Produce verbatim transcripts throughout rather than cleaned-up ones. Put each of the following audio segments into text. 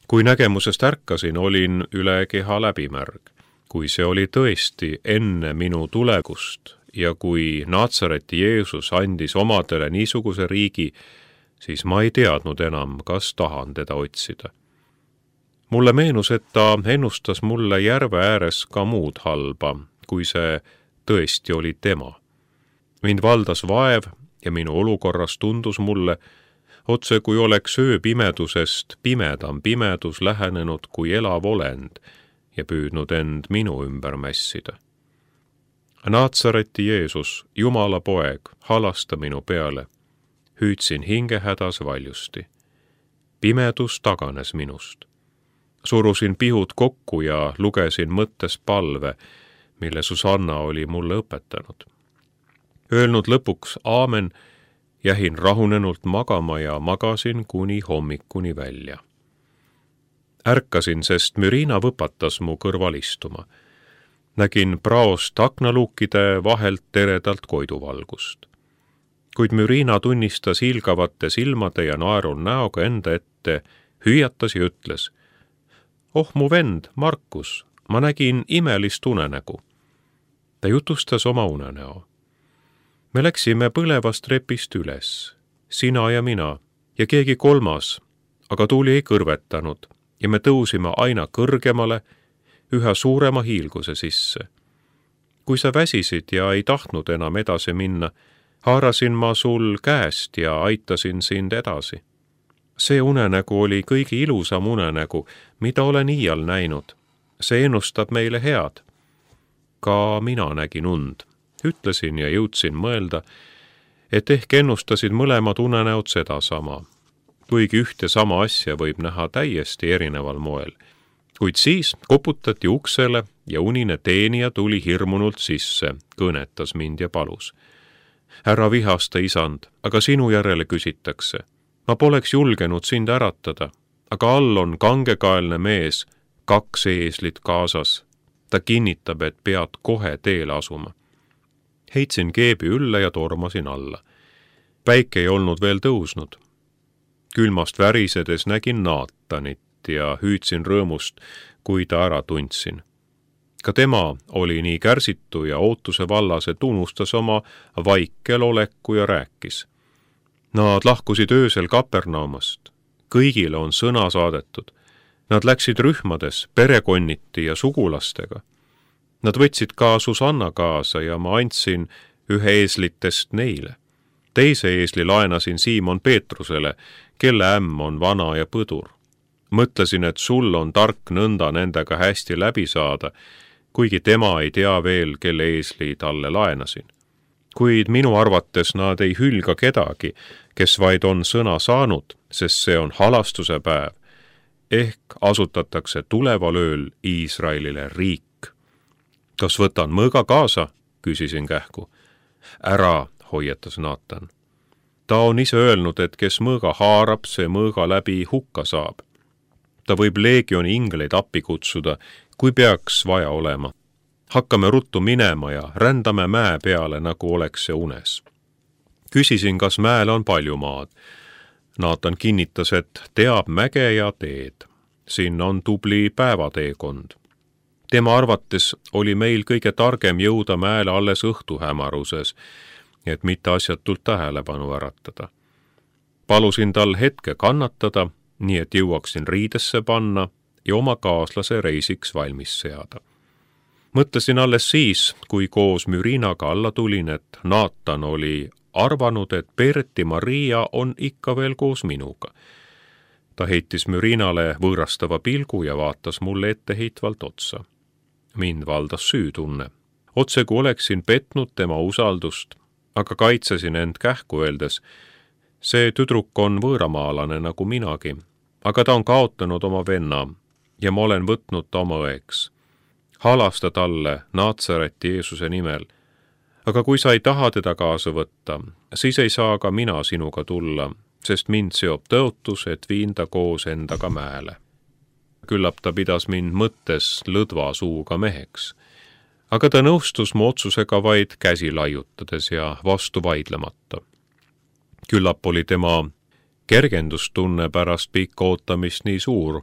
Kui nägemusest ärkasin, olin üle keha läbimärg. Kui see oli tõesti enne minu tulekust ja kui Naatsareti Jeesus andis omadele niisuguse riigi, siis ma ei teadnud enam, kas tahan teda otsida. Mulle meenus, et ta ennustas mulle järve ääres ka muud halba, kui see tõesti oli tema. Mind valdas vaev ja minu olukorras tundus mulle, otse kui oleks ööpimedusest pimedam pimedus lähenenud kui elav olend ja püüdnud end minu ümber mässida. Naatsareti Jeesus, Jumala poeg, halasta minu peale. Hüüdsin hingehädas valjusti. Pimedus taganes minust. Surusin pihud kokku ja lugesin mõttes palve, mille Susanna oli mulle õpetanud. Öelnud lõpuks aamen, jähin rahunenult magama ja magasin kuni hommikuni välja. Ärkasin, sest Mürina võpatas mu kõrval istuma. Nägin praost aknaluukide vahelt teredalt koiduvalgust. Kuid Mürina tunnistas hiilgavate silmade ja naerul näoga enda ette, hüüatas ja ütles: "Oh, mu vend, Markus, ma nägin imelist unenägu." Ta jutustas oma unenäo. Me läksime põlevast repist üles, sina ja mina ja keegi kolmas, aga tuuli ei kõrvetanud ja me tõusime aina kõrgemale, üha suurema hiilguse sisse. Kui sa väsisid ja ei tahtnud enam edasi minna, haarasin ma sul käest ja aitasin sind edasi. See unenägu oli kõige ilusam unenägu, mida olen iial näinud. See ennustab meile head. Ka mina nägin und. Ütlesin ja jõudsin mõelda, et ehk ennustasid mõlemad unenäod sedasama. Kuigi ühte sama asja võib näha täiesti erineval moel. Kuid siis koputati uksele ja unine teenija tuli hirmunult sisse, kõnetas mind ja palus: "Ära vihasta, isand, aga sinu järele küsitakse. Ma poleks julgenud sind äratada, aga all on kangekaelne mees, kaks eeslit kaasas. Ta kinnitab, et pead kohe teele asuma." Heitsin keebi ülle ja tormasin alla. Päike ei olnud veel tõusnud. Külmast värisedes nägin Naatanit ja hüüdsin rõõmust, kui ta ära tundsin. Ka tema oli nii kärsitu ja ootuse vallas, et unustas oma vaikel oleku ja rääkis. Nad lahkusid öösel Kapernaumast. Kõigile on sõna saadetud. Nad läksid rühmades, perekonniti ja sugulastega. Nad võtsid ka Susanna kaasa ja ma andsin ühe eeslitest neile. Teise eesli laenasin Siimon Peetrusele, kelle ämm on vana ja põdur. Mõtlesin, et sul on tark nõnda nendega hästi läbi saada, kuigi tema ei tea veel, kelle eesli talle laenasin. Kuid minu arvates nad ei hülga kedagi, kes vaid on sõna saanud, sest see on halastuse päev. Ehk asutatakse tuleval ööl Iisraelile riik. "Kas võtan mõõga kaasa?" küsisin kähku. "Ära," hoiatas Naatan. "Ta on ise öelnud, et kes mõõga haarab, see mõõga läbi hukka saab. Ta võib leegioni ingleid appi kutsuda, kui peaks vaja olema. Hakkame ruttu minema ja rändame mäe peale, nagu oleks see unes." Küsisin, kas mäel on palju maad. Naatan kinnitas, et teab mäge ja teed. Siin on tubli päevateekond. Tema arvates oli meil kõige targem jõuda mäele alles õhtuhämaruses, et mitte asjatult tähelepanu äratada. Palusin tal hetke kannatada, nii et jõuaksin riidesse panna ja oma kaaslase reisiks valmis seada. Mõtlesin alles siis, kui koos Mürinaga alla tulin, et Naatan oli arvanud, et Berti Maria on ikka veel koos minuga. Ta heitis Mürinale võõrastava pilgu ja vaatas mulle etteheitvalt otsa. Mind valdas süütunne. Otse kui oleksin petnud tema usaldust, aga kaitsesin end kähku öeldes: "See tüdruk on võõramaalane nagu minagi, aga ta on kaotanud oma venna ja ma olen võtnud ta oma õeks. Halasta talle Naatsareti Jeesuse nimel. Aga kui sa ei taha teda kaasa võtta, siis ei saa ka mina sinuga tulla, sest mind seob tõotus, et viin ta koos endaga mäele." Küllap ta pidas mind mõttes lõdva suuga meheks. Aga ta nõustus mu otsusega vaid käsi laiutades ja vastu vaidlemata. Küllap oli tema kergendustunne pärast pikka ootamist nii suur,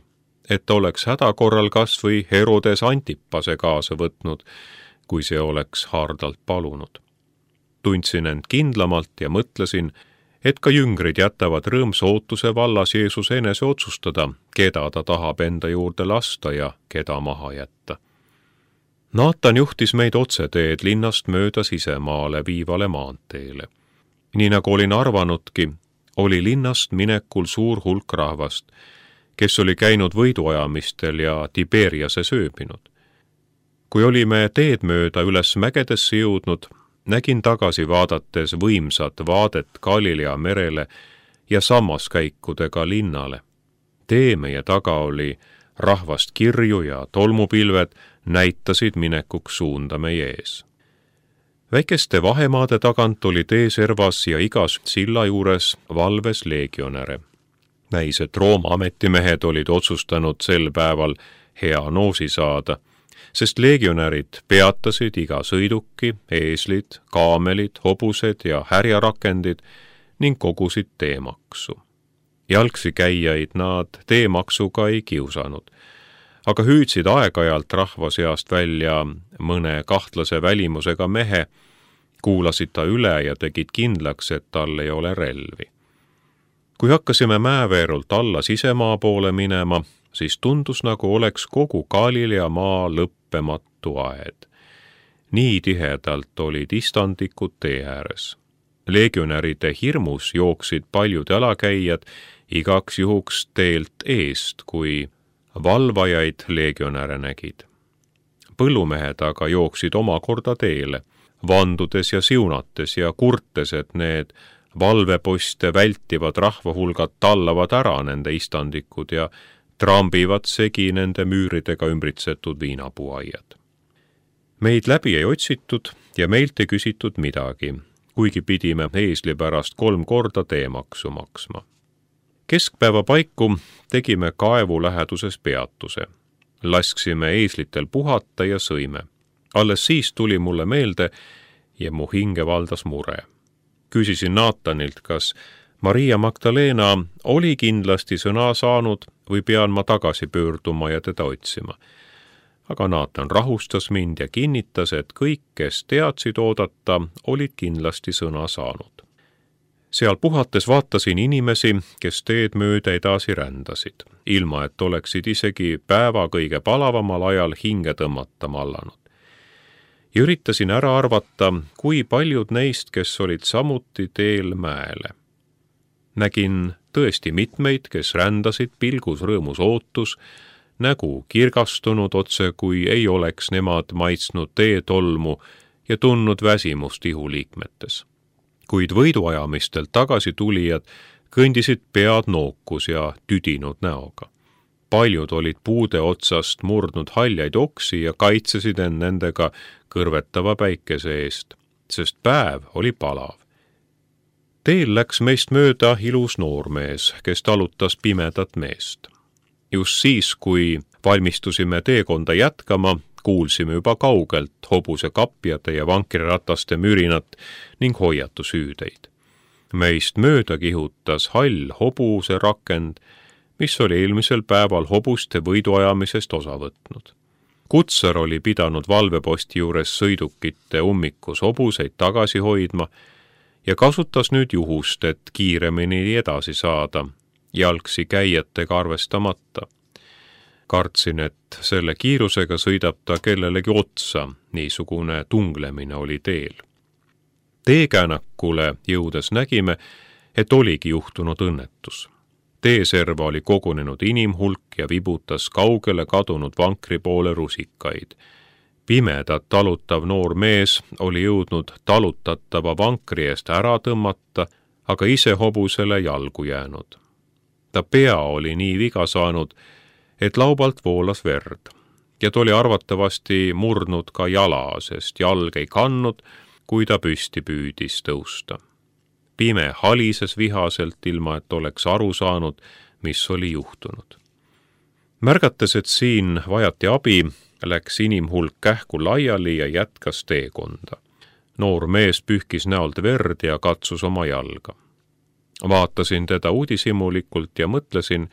et oleks häda korral kas või Herodes Antipase kaasa võtnud, kui see oleks hardalt palunud. Tundsin end kindlamalt ja mõtlesin, et ka jüngrid jätavad rõõmsa ootuse vallas Jeesuse enese otsustada, keda ta tahab enda juurde lasta ja keda maha jätta. Naatan juhtis meid otseteed linnast mööda sisemaale viivale maanteele. Nii nagu olin arvanudki, oli linnast minekul suur hulk rahvast, kes oli käinud võiduajamistel ja Tiberiase sööbinud. Kui olime teed mööda üles mägedesse jõudnud, nägin tagasi vaadates võimsat vaadet Galilea merele ja sammaskäikudega linnale. Tee meie taga oli rahvast kirju ja tolmupilved näitasid minekuks suunda meie ees. Väikeste vahemaade tagant oli tee servas ja igas silla juures valves leegionäre. Näis, et Rooma ametimehed olid otsustanud sel päeval hea noosi saada, sest leegionärid peatasid iga sõiduki, eeslid, kaamelid, hobused ja härjarakendid ning kogusid teemaksu. Jalgsi käijaid nad teemaksuga ei kiusanud, aga hüüdsid aeg-ajalt rahva seast välja mõne kahtlase välimusega mehe, kuulasid ta üle ja tegid kindlaks, et tal ei ole relvi. Kui hakkasime mäeveerult alla sisemaa poole minema, siis tundus, nagu oleks kogu Galilea maa lõppematu aed. Nii tihedalt olid istandikud tee ääres. Leegionäride hirmus jooksid paljud jalakäijad igaks juhuks teelt eest, kui valvajaid leegionäre nägid. Põllumehed aga jooksid omakorda teele, vandudes ja siunates ja kurtes, et need valveposte vältivad rahvahulgad tallavad ära nende istandikud ja trambivad segi nende müüridega ümbritsetud viinapuuaiad. Meid läbi ei otsitud ja meilt ei küsitud midagi, kuigi pidime eesli pärast kolm korda teemaksu maksma. Keskpäeva paiku tegime kaevu läheduses peatuse. Lasksime eeslitel puhata ja sõime. Alles siis tuli mulle meelde ja mu hinge valdas mure. Küsisin Naatanilt, kas Maria Magdalena oli kindlasti sõna saanud või pean ma tagasi pöörduma ja teda otsima. Aga Naatan rahustas mind ja kinnitas, et kõik, kes teadsid oodata, olid kindlasti sõna saanud. Seal puhates vaatasin inimesi, kes teed mööda edasi rändasid, ilma et oleksid isegi päeva kõige palavamal ajal hinge tõmmata mallanud. Ja üritasin ära arvata, kui paljud neist, kes olid samuti teel mäele. Nägin tõesti mitmeid, kes rändasid pilgus rõõmus ootus, nägu kirgastunud otse, kui ei oleks nemad maitsnud teetolmu ja tundnud väsimust ihuliikmetes. Kuid võiduajamistelt tagasi tulijad kõndisid pead nookus ja tüdinud näoga. Paljud olid puude otsast murdnud haljaid oksi ja kaitsesid end nendega kõrvetava päikese eest, sest päev oli palav. Teel läks meist mööda ilus noormees, kes talutas pimedat meest. Just siis, kui valmistusime teekonda jätkama, kuulsime juba kaugelt hobuse kapjade ja vankrirataste mürinat ning hoiatushüüdeid. Meist mööda kihutas hall hobuse rakend, mis oli eelmisel päeval hobuste võiduajamisest osa võtnud. Kutsar oli pidanud valveposti juures sõidukite ummikus hobuseid tagasi hoidma ja kasutas nüüd juhust, et kiiremini edasi saada, jalgsi käijatega arvestamata. Kartsin, et selle kiirusega sõidab ta kellelegi otsa, niisugune tunglemine oli teel. Teekäänakule jõudes nägime, et oligi juhtunud õnnetus. Teeserva oli kogunenud inimhulk ja vibutas kaugele kadunud vankri poole rusikaid. Pimedat talutav noor mees oli jõudnud talutatava vankri eest ära tõmmata, aga ise hobusele jalgu jäänud. Ta pea oli nii viga saanud, et laubalt voolas verd ja ta oli arvatavasti murdnud ka jala, sest jalg ei kandnud, kui ta püsti püüdis tõusta. Pime halises vihaselt, ilma et oleks aru saanud, mis oli juhtunud. Märgates, et siin vajati abi, läks inimhulk kähku laiali ja jätkas teekonda. Noor mees pühkis näolt verd ja katsus oma jalga. Vaatasin teda uudishimulikult ja mõtlesin,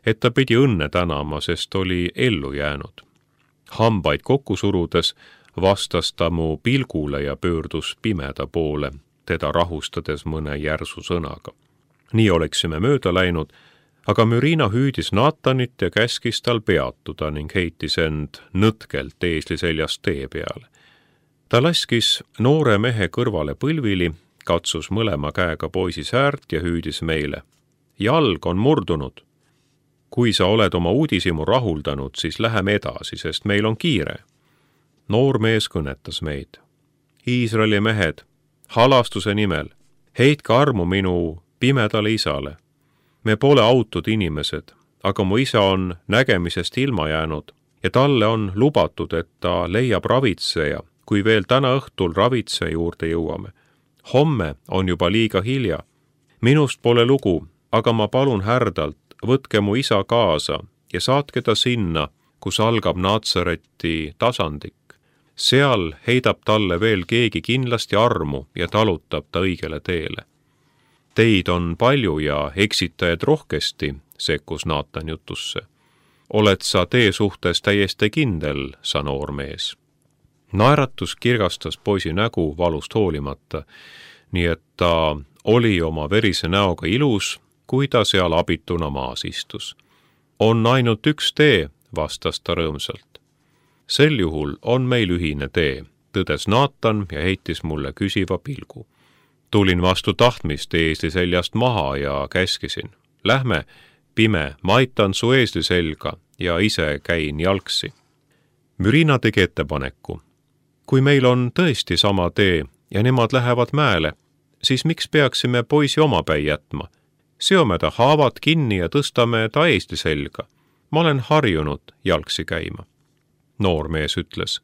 et ta pidi õnne tänama, sest oli ellu jäänud. Hambaid kokku surudes vastas ta mu pilgule ja pöördus pimeda poole, teda rahustades mõne järsu sõnaga. Nii oleksime mööda läinud, aga Mürina hüüdis Natanit ja käskis tal peatuda ning heitis end nõtkelt eesli seljast tee peale. Ta laskis noore mehe kõrvale põlvili, katsus mõlema käega poisi säärt ja hüüdis meile. Jalg on murdunud. Kui sa oled oma uudishimu rahuldanud, siis läheme edasi, sest meil on kiire. Noor mees kõnetas meid. Iisraeli mehed, halastuse nimel, heitke armu minu pimedale isale. Me pole autud inimesed, aga mu isa on nägemisest ilma jäänud ja talle on lubatud, et ta leiab ravitseja, kui veel täna õhtul ravitseja juurde jõuame. Homme on juba liiga hilja. Minust pole lugu, aga ma palun härdalt, võtke mu isa kaasa ja saatke ta sinna, kus algab Natsareti tasandik. Seal heidab talle veel keegi kindlasti armu ja talutab ta õigele teele. Teid on palju ja eksitajad rohkesti, sekkus Naatan jutusse. Oled sa tee suhtes täiesti kindel, sa noor mees. Naeratus kirgastas poisi nägu valust hoolimata, nii et ta oli oma verise näoga ilus, kui ta seal abituna maas istus. On ainult üks tee, vastas ta rõõmsalt. Sel juhul on meil ühine tee, tõdes Naatan ja heitis mulle küsiva pilgu. Tulin vastu tahtmist eesli seljast maha ja käskisin. Lähme, pime, ma aitan su eesli selga ja ise käin jalgsi. Mürina tegi ettepaneku. Kui meil on tõesti sama tee ja nemad lähevad mäele, siis miks peaksime poisi omapäi jätma? Seome ta haavad kinni ja tõstame ta eesli selga. Ma olen harjunud jalgsi käima. Noor mees ütles,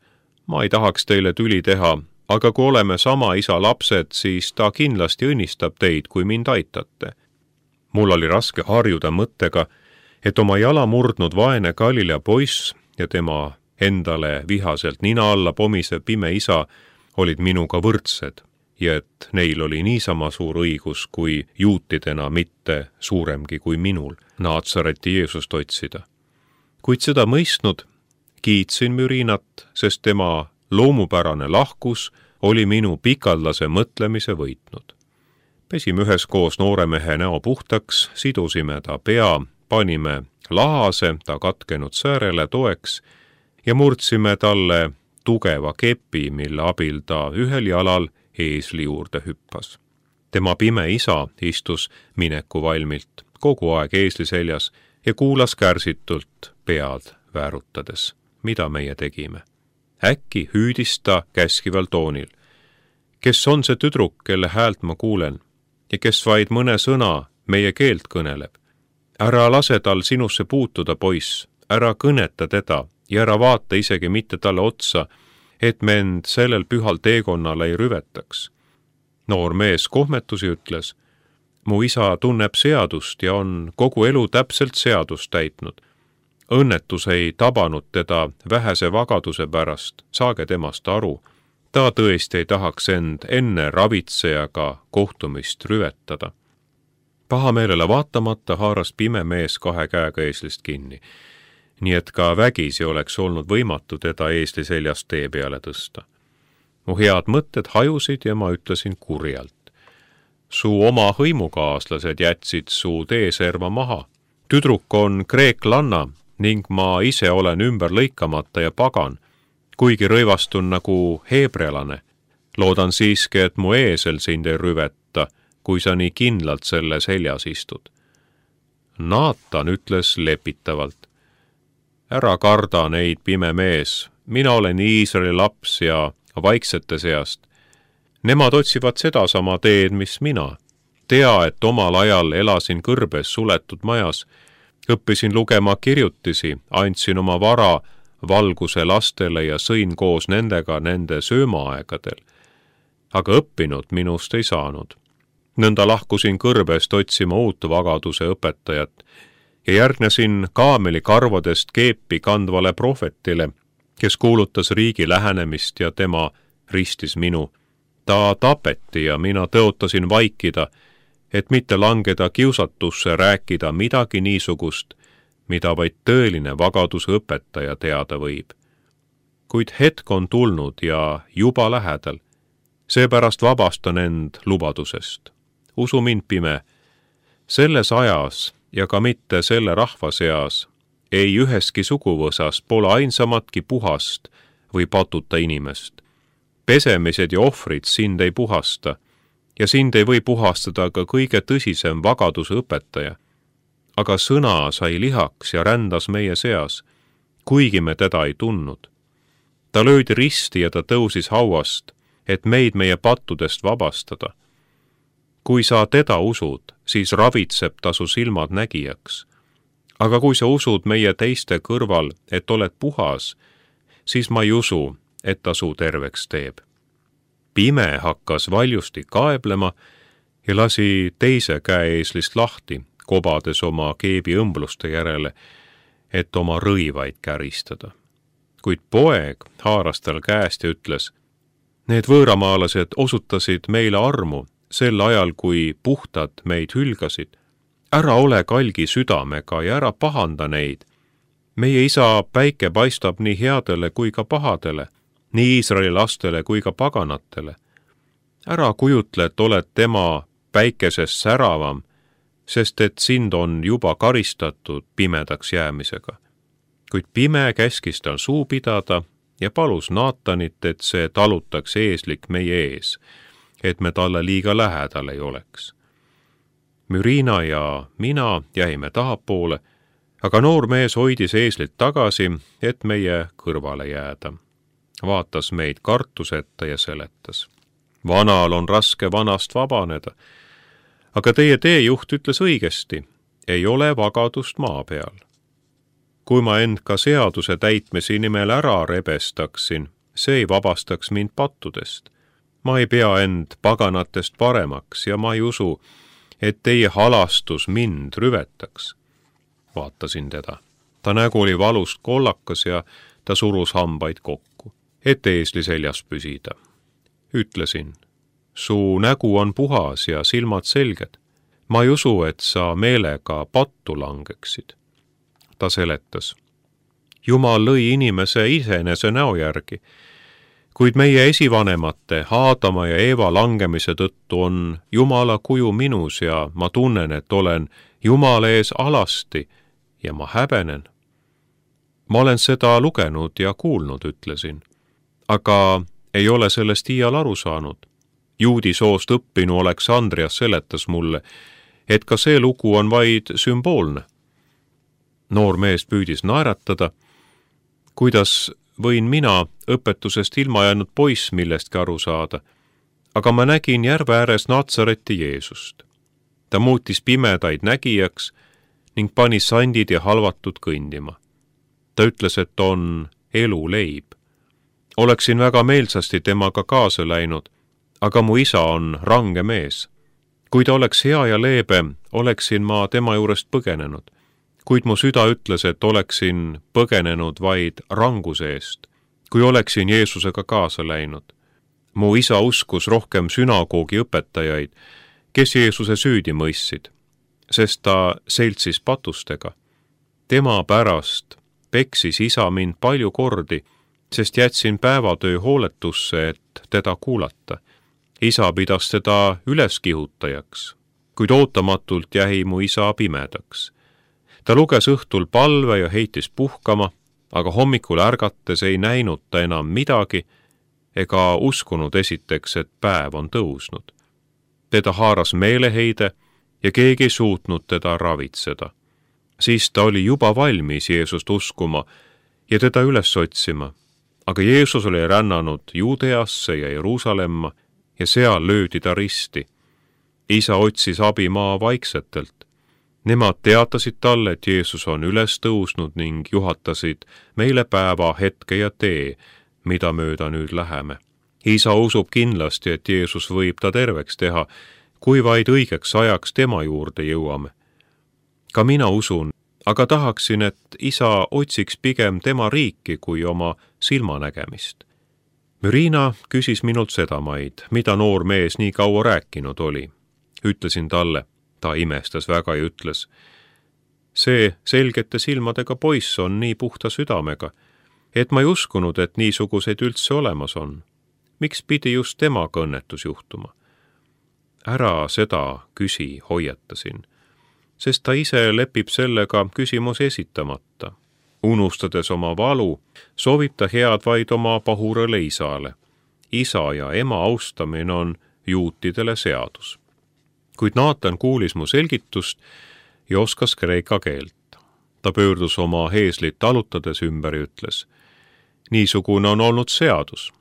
ma ei tahaks teile tüli teha, aga kui oleme sama isa lapsed, siis ta kindlasti õnnistab teid, kui mind aitate. Mul oli raske harjuda mõttega, et oma jala murdnud vaene Galilea poiss ja tema endale vihaselt nina alla pomisev pime isa olid minuga võrdsed ja et neil oli niisama suur õigus kui juutidena mitte suuremgi kui minul Natsareti Jeesust otsida. Kuid seda mõistnud, kiitsin Mürinat, sest tema loomupärane lahkus oli minu pikaldase mõtlemise võitnud. Pesime üheskoos noore mehe näo puhtaks, sidusime ta pea, panime lahase ta katkenud säärele toeks ja murdsime talle tugeva kepi, mille abil ta ühel jalal eesli juurde hüppas. Tema pime isa istus mineku valmilt, kogu aeg eesli seljas ja kuulas kärsitult pead väärutades, mida meie tegime. Äkki hüüdis ta käskival toonil. Kes on see tüdruk, kelle häält ma kuulen ja kes vaid mõne sõna meie keelt kõneleb? Ära lase tal sinusse puutuda, poiss, ära kõneta teda ja ära vaata isegi mitte talle otsa, et me end sellel pühal teekonnal ei rüvetaks. Noor mees kohmetusi ütles, mu isa tunneb seadust ja on kogu elu täpselt seadust täitnud. Õnnetus ei tabanud teda vähese vagaduse pärast, saage temast aru. Ta tõesti ei tahaks end enne ravitsejaga kohtumist rüvetada. Pahameelele vaatamata haaras pime mees kahe käega eeslist kinni, nii et ka vägisi oleks olnud võimatu teda eesli seljast tee peale tõsta. Mu head mõtted hajusid ja ma ütlesin kurjalt. Su oma hõimukaaslased jätsid su teeserva maha. Tüdruk on kreeklanna ning ma ise olen ümber lõikamata ja pagan, kuigi rõivastun nagu heebrealane. Loodan siiski, et mu eesel sind ei rüveta, kui sa nii kindlalt selle seljas istud. Naatan ütles lepitavalt. Ära karda neid, pime mees, mina olen Iisraeli laps ja vaiksete seast. Nemad otsivad sedasama teed, mis mina. Tea, et omal ajal elasin kõrbes suletud majas, õppisin lugema kirjutisi, andsin oma vara valguse lastele ja sõin koos nendega nende söömaaegadel. Aga õppinud minust ei saanud. Nõnda lahkusin kõrbest otsima uut vagaduse õpetajat ja järgnesin kaameli karvadest keepi kandvale prohvetile, kes kuulutas riigi lähenemist ja tema ristis minu. Ta tapeti ja mina tõotasin vaikida, et mitte langeda kiusatusse rääkida midagi niisugust, mida vaid tõeline vagaduse õpetaja teada võib. Kuid hetk on tulnud ja juba lähedal, seepärast vabastan end lubadusest. Usu mind, pime, selles ajas ja ka mitte selle rahva seas ei üheski suguvõsas pole ainsamatki puhast või patuta inimest. Pesemised ja ohvrid sind ei puhasta ja sind ei või puhastada ka kõige tõsisem vagaduse õpetaja. Aga sõna sai lihaks ja rändas meie seas, kuigi me teda ei tundnud. Ta löödi risti ja ta tõusis hauast, et meid meie pattudest vabastada. Kui sa teda usud, siis ravitseb ta su silmad nägijaks. Aga kui sa usud meie teiste kõrval, et oled puhas, siis ma ei usu, et ta su terveks teeb. Pime hakkas valjusti kaeblema ja lasi teise käe eeslist lahti, kobades oma keebi õmbluste järele, et oma rõivaid käristada. Kuid poeg haaras tal käest ja ütles, need võõramaalased osutasid meile armu sel ajal, kui puhtad meid hülgasid. Ära ole kalgi südamega ja ära pahanda neid. Meie isa päike paistab nii headele kui ka pahadele, nii Iisraeli lastele kui ka paganatele. Ära kujutle, et oled tema päikesest säravam, sest et sind on juba karistatud pimedaks jäämisega. Kuid pime käskis tal suu pidada ja palus Naatanit, et see talutaks eeslik meie ees, et me talle liiga lähedal ei oleks. Mürina ja mina jäime tahapoole, aga noor mees hoidis eeslit tagasi, et meie kõrvale jääda. Vaatas meid kartuseta ja seletas. Vanal on raske vanast vabaneda, aga teie teejuht ütles õigesti, ei ole vagadust maa peal. Kui ma end ka seaduse täitmise nimel ära rebestaksin, see ei vabastaks mind pattudest. Ma ei pea end paganatest paremaks ja ma ei usu, et teie halastus mind rüvetaks. Vaatasin teda. Ta nägu oli valust kollakas ja ta surus hambaid kokku, et eesli seljas püsida. Ütlesin, su nägu on puhas ja silmad selged. Ma ei usu, et sa meelega pattu langeksid. Ta seletas. Jumal lõi inimese iseenese näo järgi, kuid meie esivanemate Aadama ja Eeva langemise tõttu on Jumala kuju minus ja ma tunnen, et olen Jumala ees alasti ja ma häbenen. Ma olen seda lugenud ja kuulnud, ütlesin, aga ei ole sellest iial aru saanud. Juudi soost õppinu Aleksandrias seletas mulle, et ka see lugu on vaid sümboolne. Noor mees püüdis naeratada, kuidas võin mina õpetusest ilma jäänud poiss millestki aru saada, aga ma nägin järve ääres Natsareti Jeesust. Ta muutis pimedaid nägijaks ning pani sandid ja halvatud kõndima. Ta ütles, et on elu leib. Oleksin väga meelsasti temaga kaasa läinud, aga mu isa on range mees. Kui ta oleks hea ja leebe, oleksin ma tema juurest põgenenud. Kuid mu süda ütles, et oleksin põgenenud vaid ranguse eest, kui oleksin Jeesusega kaasa läinud. Mu isa uskus rohkem sünagoogi õpetajaid, kes Jeesuse süüdi mõistsid, sest ta seltsis patustega. Tema pärast peksis isa mind palju kordi, sest jätsin päevatöö hooletusse, et teda kuulata. Isa pidas teda üleskihutajaks, kuid ootamatult jäi mu isa pimedaks. Ta luges õhtul palve ja heitis puhkama, aga hommikul ärgates ei näinud ta enam midagi ega uskunud esiteks, et päev on tõusnud. Teda haaras meeleheide ja keegi ei suutnud teda ravitseda. Siis ta oli juba valmis Jeesust uskuma ja teda üles otsima, aga Jeesus oli rännanud Juudeasse ja Jeruusalemma ja seal löödi ta risti. Isa otsis abi maa vaiksetelt. Nemad teatasid talle, et Jeesus on üles tõusnud ning juhatasid meile päeva, hetke ja tee, mida mööda nüüd läheme. Isa usub kindlasti, et Jeesus võib ta terveks teha, kui vaid õigeks ajaks tema juurde jõuame. Ka mina usun, aga tahaksin, et isa otsiks pigem tema riiki kui oma silmanägemist. Mürina küsis minult sedamaid, mida noor mees nii kaua rääkinud oli. Ütlesin talle, ta imestas väga ja ütles, see selgete silmadega poiss on nii puhta südamega, et ma ei uskunud, et niisuguseid üldse olemas on. Miks pidi just temaga õnnetus juhtuma? Ära seda küsi, hoiatasin, sest ta ise lepib sellega küsimus esitamata. Unustades oma valu, soovib ta head vaid oma pahurale isale. Isa ja ema austamine on juutidele seadus. Kuid Naatan kuulis mu selgitust ja oskas kreeka keelt. Ta pöördus oma heeslit talutades ümber ja ütles: niisugune on olnud seadus,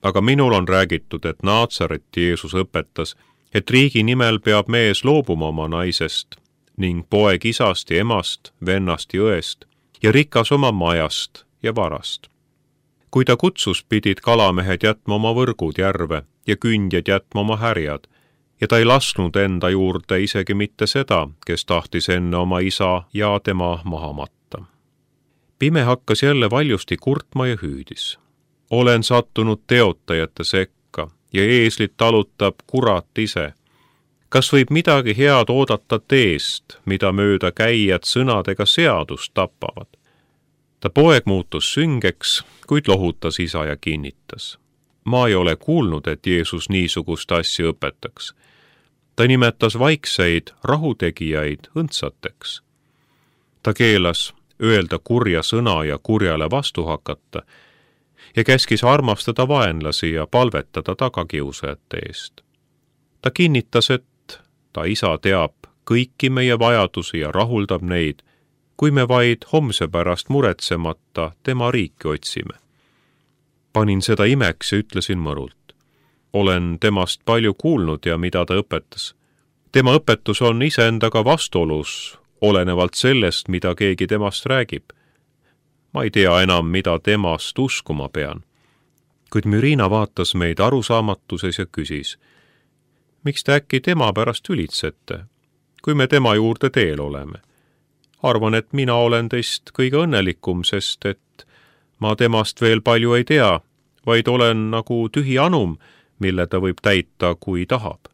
aga minul on räägitud, et Naatsareti Jeesus õpetas, et riigi nimel peab mees loobuma oma naisest ning poeg isast ja emast, vennast ja õest ja rikas oma majast ja varast. Kui ta kutsus, pidid kalamehed jätma oma võrgud järve ja kündjad jätma oma härjad, ja ta ei lasknud enda juurde isegi mitte seda, kes tahtis enne oma isa ja tema maha matta. Pime hakkas jälle valjusti kurtma ja hüüdis: olen sattunud teotajate sekka ja eeslit talutab kurat ise. Kas võib midagi head oodata teest, mida mööda käijad sõnadega seadust tapavad? Ta poeg muutus süngeks, kuid lohutas isa ja kinnitas: ma ei ole kuulnud, et Jeesus niisugust asja õpetaks. Ta nimetas vaikseid rahutegijaid õndsateks. Ta keelas öelda kurja sõna ja kurjale vastu hakata ja käskis armastada vaenlasi ja palvetada tagakiusajate eest. Ta kinnitas, et ta isa teab kõiki meie vajadusi ja rahuldab neid, kui me vaid homse pärast muretsemata tema riiki otsime. Panin seda imeks ja ütlesin mõrult: olen temast palju kuulnud ja mida ta õpetas. Tema õpetus on iseendaga vastuolus, olenevalt sellest, mida keegi temast räägib. Ma ei tea enam, mida temast uskuma pean. Kuid Mürina vaatas meid arusaamatuses ja küsis: miks te äkki tema pärast ülitsete, kui me tema juurde teel oleme? Arvan, et mina olen teist kõige õnnelikum, sest et ma temast veel palju ei tea, vaid olen nagu tühi anum, mille ta võib täita, kui tahab.